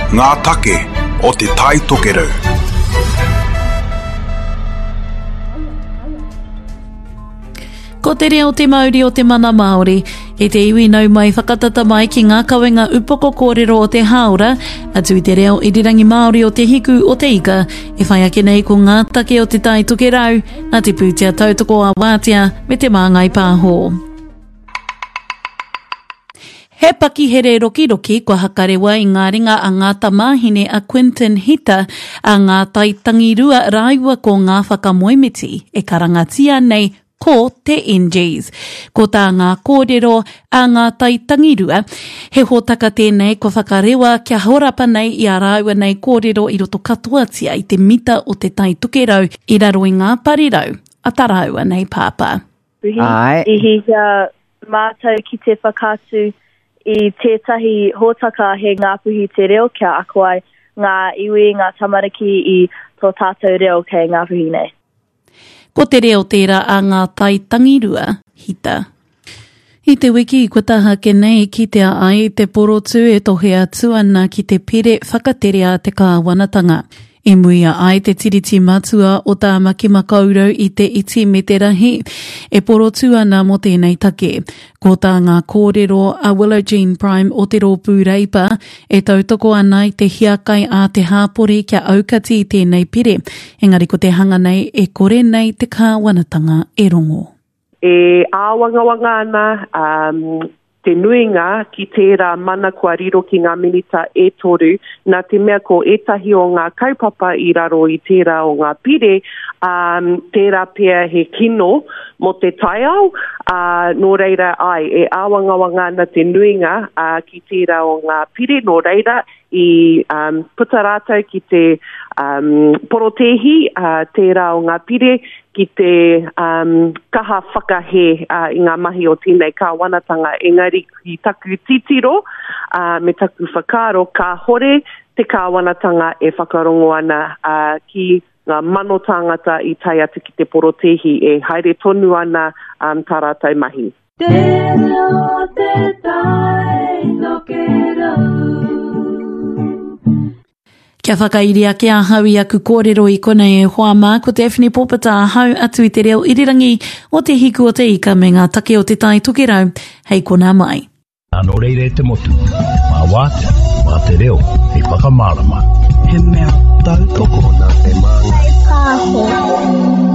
Ngā take o Te Tai Tokerau. Ko te reo te mauri o te mana Māori. E te iwi nau mai whakatata mai ki ngā kawenga upoko kōrero o te hāora, atu i te reo irirangi Māori o Te Hiku o Te Ika, e whai ake nei ko ngā take o Te Tai Tokerau, nā Te Pūtea Tautoko a Wātea me Te Māngai Pāho. He pakihere rokiroki kua hakarewa i ngā ringa a ngā tamāhine a Quinton Hita, a Ngā Tai Tangirua rāua ko ngā whakamoemiti e karangatia nei ko te NGs. Ko tā ngā kōrero a Ngā Tai Tangirua, he hōtaka tēnei kua whakarewa kia horapa nei i ā rāua nei kōrero i roto katoatia i te mita o Te Tai Tokerau i raro i ngā parirau a tā rāua nei pāpā. Āe. I hiahia mātou ki te whakaatu i tētahi hōtaka he Ngāpuhi te reo kia ako ai ngā iwi, ngā tamariki i tō tātou reo kei Ngāpuhi nei. Ko te reo tērā a ngā tai tangirua, hita. I te wiki kua taha ake nei kitea ai te porotū e tohe atu ana ki te pire whakatere a te kāwanatanga. I muia ai te tiriti matua o Tāmaki Makaurau i te iti me te rahi, e porotū ana mō tēnei take. Ko tā ngā kōrero a Willow Jean Prime o te Rōpū Reipa e tautoko ana i te hiakai a te hāpori kia aukati i tēnei pire, engari ko te hanga nei e kore nei te kāwanatanga e rongo. E āwangawanga ana te nuinga ki tērā mana kua riro ki ngā minita e toru, nā te mea ko ētahi o ngā kaupapa i raro i tērā o ngā pire, ā, tērā pea he kino mō te taiao, ā, nō reira, āe, e āwangawanga ana te nuinga, ā, ki tērā o ngā pire, nō reira, i um, puta rātou ki te um, porotēhi, uh, tērā o ngā pire, ki te um, kaha whakahē uh, i ngā mahi o tēnei kāwanatanga. Engari ki taku titiro uh, me taku whakaaro, kāhore te kāwanatanga e whakarongo ana uh, ki ngā mano tāngata i tae atu ki te porotēhi e haere tonu ana um, tā rātou mahi. Te reo te tai tokerau. Kia whakairi ake ahau i aku kōrero i konei e hoa mā, ko Daphne Pōpata ahau atu i te reo irirangi o Te Hiku o Te Ika me ngā take o Te Tai Tokerau, hei konā mai. Nā nō reira e te motu, mā wātea, mā te reo, hei whakamārama. He mea tautoko nā te māngai. Pāho.